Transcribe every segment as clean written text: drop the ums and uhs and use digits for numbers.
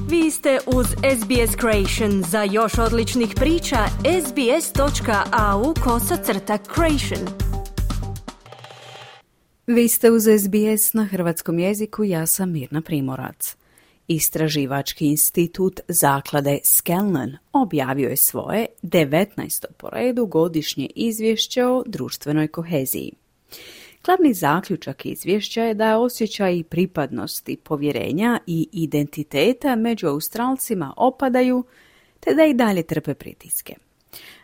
Vi ste uz SBS Creation. Za još odličnih priča, sbs.au/creation. Vi ste uz SBS na hrvatskom jeziku, ja sam Mirna Primorac. Istraživački institut zaklade Scanlon objavio je svoje 19. po redu godišnje izvješće o društvenoj koheziji. Glavni zaključak izvješća je da osjećaji pripadnosti, povjerenja i identiteta među Australcima opadaju, te da i dalje trpe pritiske.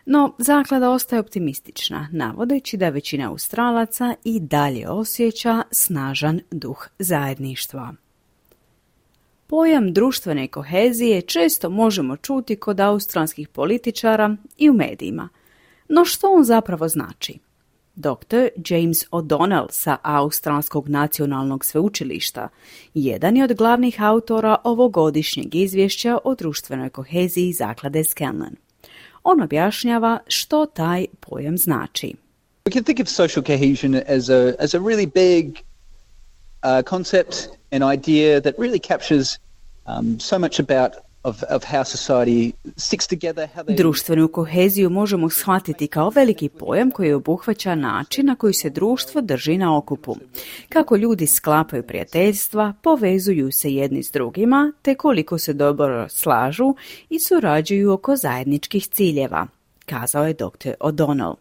No, zaklada ostaje optimistična, navodeći da većina Australaca i dalje osjeća snažan duh zajedništva. Pojam društvene kohezije često možemo čuti kod australskih političara i u medijima. No što on zapravo znači? Dr. James O'Donnell sa Australskog nacionalnog sveučilišta jedan je od glavnih autora ovogodišnjeg izvješća o društvenoj koheziji zaklade Scanlon. On objašnjava što taj pojam znači. We can think of social cohesion as a really big concept, an idea that really captures so much about of how society sticks together, how they... Društvenu koheziju možemo shvatiti kao veliki pojam koji obuhvaća način na koji se društvo drži na okupu. Kako ljudi sklapaju prijateljstva, povezuju se jedni s drugima, te koliko se dobro slažu i surađuju oko zajedničkih ciljeva, kazao je dr. O'Donnell.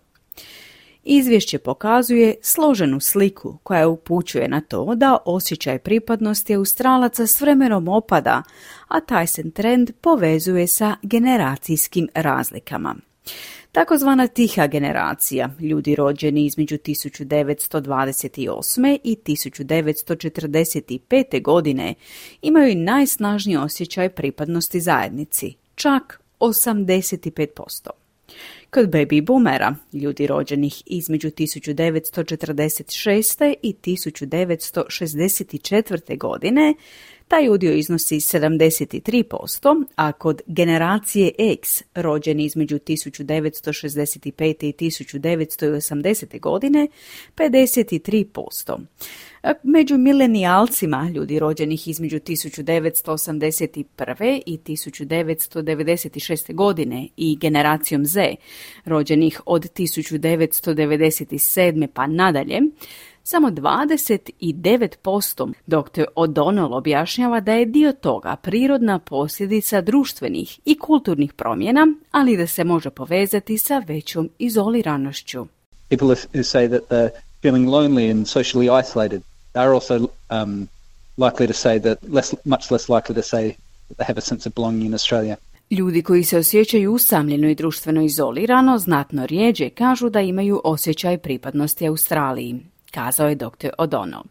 Izvješće pokazuje složenu sliku koja upućuje na to da osjećaj pripadnosti Australaca s vremenom opada, a taj se trend povezuje sa generacijskim razlikama. Takozvana tiha generacija, ljudi rođeni između 1928. i 1945. godine, imaju najsnažniji osjećaj pripadnosti zajednici, čak 85%. Kod baby boomera, ljudi rođenih između 1946. i 1964. godine, taj udio iznosi 73%, a kod generacije X, rođeni između 1965. i 1980. godine, 53%. Među milenijalcima, ljudi rođenih između 1981. i 1996. godine i generacijom Z, rođenih od 1997. pa nadalje, samo 29%. Dr. O'Donnell objašnjava da je dio toga prirodna posljedica društvenih i kulturnih promjena, ali da se može povezati sa većom izoliranošću. People who say that they're feeling lonely and socially isolated, they're also likely to say that much less likely to say that they have a sense of belonging in Australia. Ljudi koji se osjećaju usamljeno i društveno izolirano znatno rjeđe kažu da imaju osjećaj pripadnosti Australiji, kazao je dr. O'Donnell.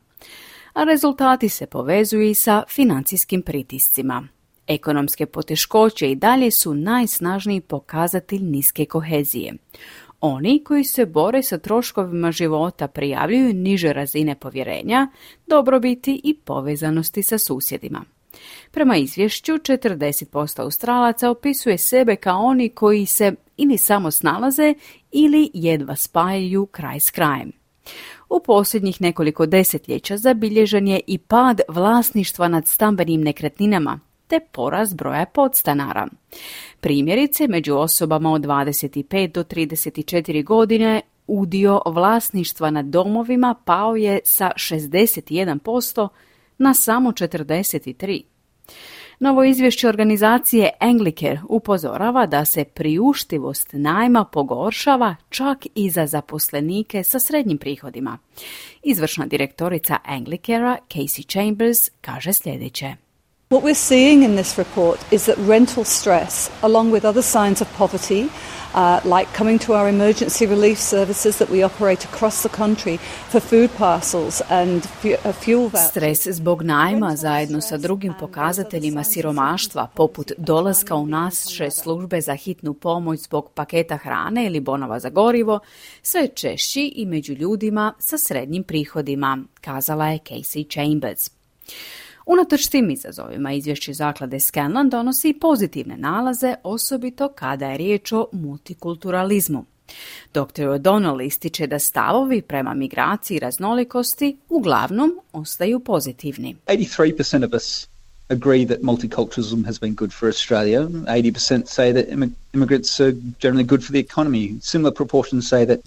A rezultati se povezuju i sa financijskim pritiscima. Ekonomske poteškoće i dalje su najsnažniji pokazatelj niske kohezije. Oni koji se bore sa troškovima života prijavljuju niže razine povjerenja, dobrobiti i povezanosti sa susjedima. Prema izvješću, 40% Australaca opisuje sebe kao oni koji se ili samo snalaze ili jedva spajaju kraj s krajem. U posljednjih nekoliko desetljeća zabilježen je i pad vlasništva nad stambenim nekretninama, te porast broja podstanara. Primjerice, među osobama od 25 do 34 godine udio vlasništva nad domovima pao je sa 61% na samo 43%. Novo izvješće organizacije Anglicare upozorava da se priuštivost najma pogoršava čak i za zaposlenike sa srednjim prihodima. Izvršna direktorica Anglicarea, Casey Chambers, kaže sljedeće. What we're seeing in this report is that rental stress, along with other signs of poverty, like coming to our emergency relief services that we operate across the country for food parcels and fuel vouchers. Stres zbog najma zajedno sa drugim pokazateljima siromaštva, poput dolaska u naše službe za hitnu pomoć zbog paketa hrane ili bonova za gorivo, sve češći i među ljudima sa srednjim prihodima, kazala je Casey Chambers. Unatoč tim izazovima, izvješće zaklade Scanlon donosi i pozitivne nalaze, osobito kada je riječ o multikulturalizmu. Dr. O'Donnell ističe da stavovi prema migraciji i raznolikosti uglavnom ostaju pozitivni. 83% of us agree that multiculturalism has been good for Australia. 80% say that immigrants are generally good for the economy. Similar proportions say that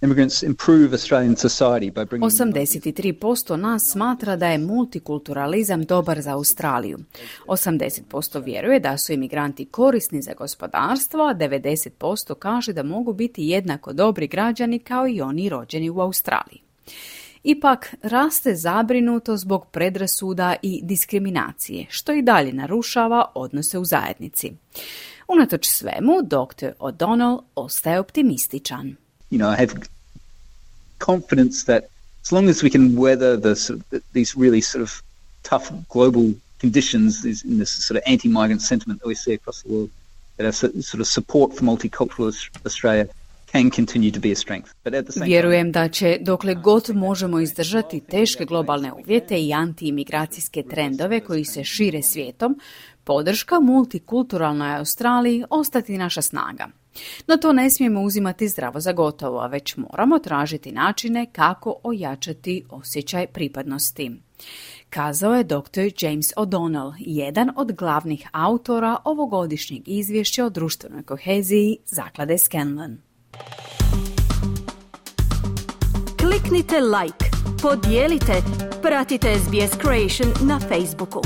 immigrants improve Australian society by bringing... 83% nas smatra da je multikulturalizam dobar za Australiju. 80% vjeruje da su imigranti korisni za gospodarstvo, a 90% kaže da mogu biti jednako dobri građani kao i oni rođeni u Australiji. Ipak raste zabrinuto zbog predrasuda i diskriminacije, što i dalje narušava odnose u zajednici. Unatoč svemu, dr. O'Donnell ostaje optimističan. I have confidence that as long as we can weather these really sort of tough global conditions in this sort of anti-migrant sentiment that we see across the world, that our sort of support for multicultural Australia can continue to be a strength. But at the same Vjerujem da će, dokle god možemo izdržati teške globalne uvjete i antiimigracijske trendove koji se šire svijetom, podrška multikulturalnoj Australiji ostati naša snaga. No to ne smijemo uzimati zdravo za gotovo, a već moramo tražiti načine kako ojačati osjećaj pripadnosti. Kazao je dr. James O'Donnell, jedan od glavnih autora ovogodišnjeg izvješća o društvenoj koheziji Zaklade Scanlon. Kliknite like, podijelite, pratite SBS Creation na Facebooku.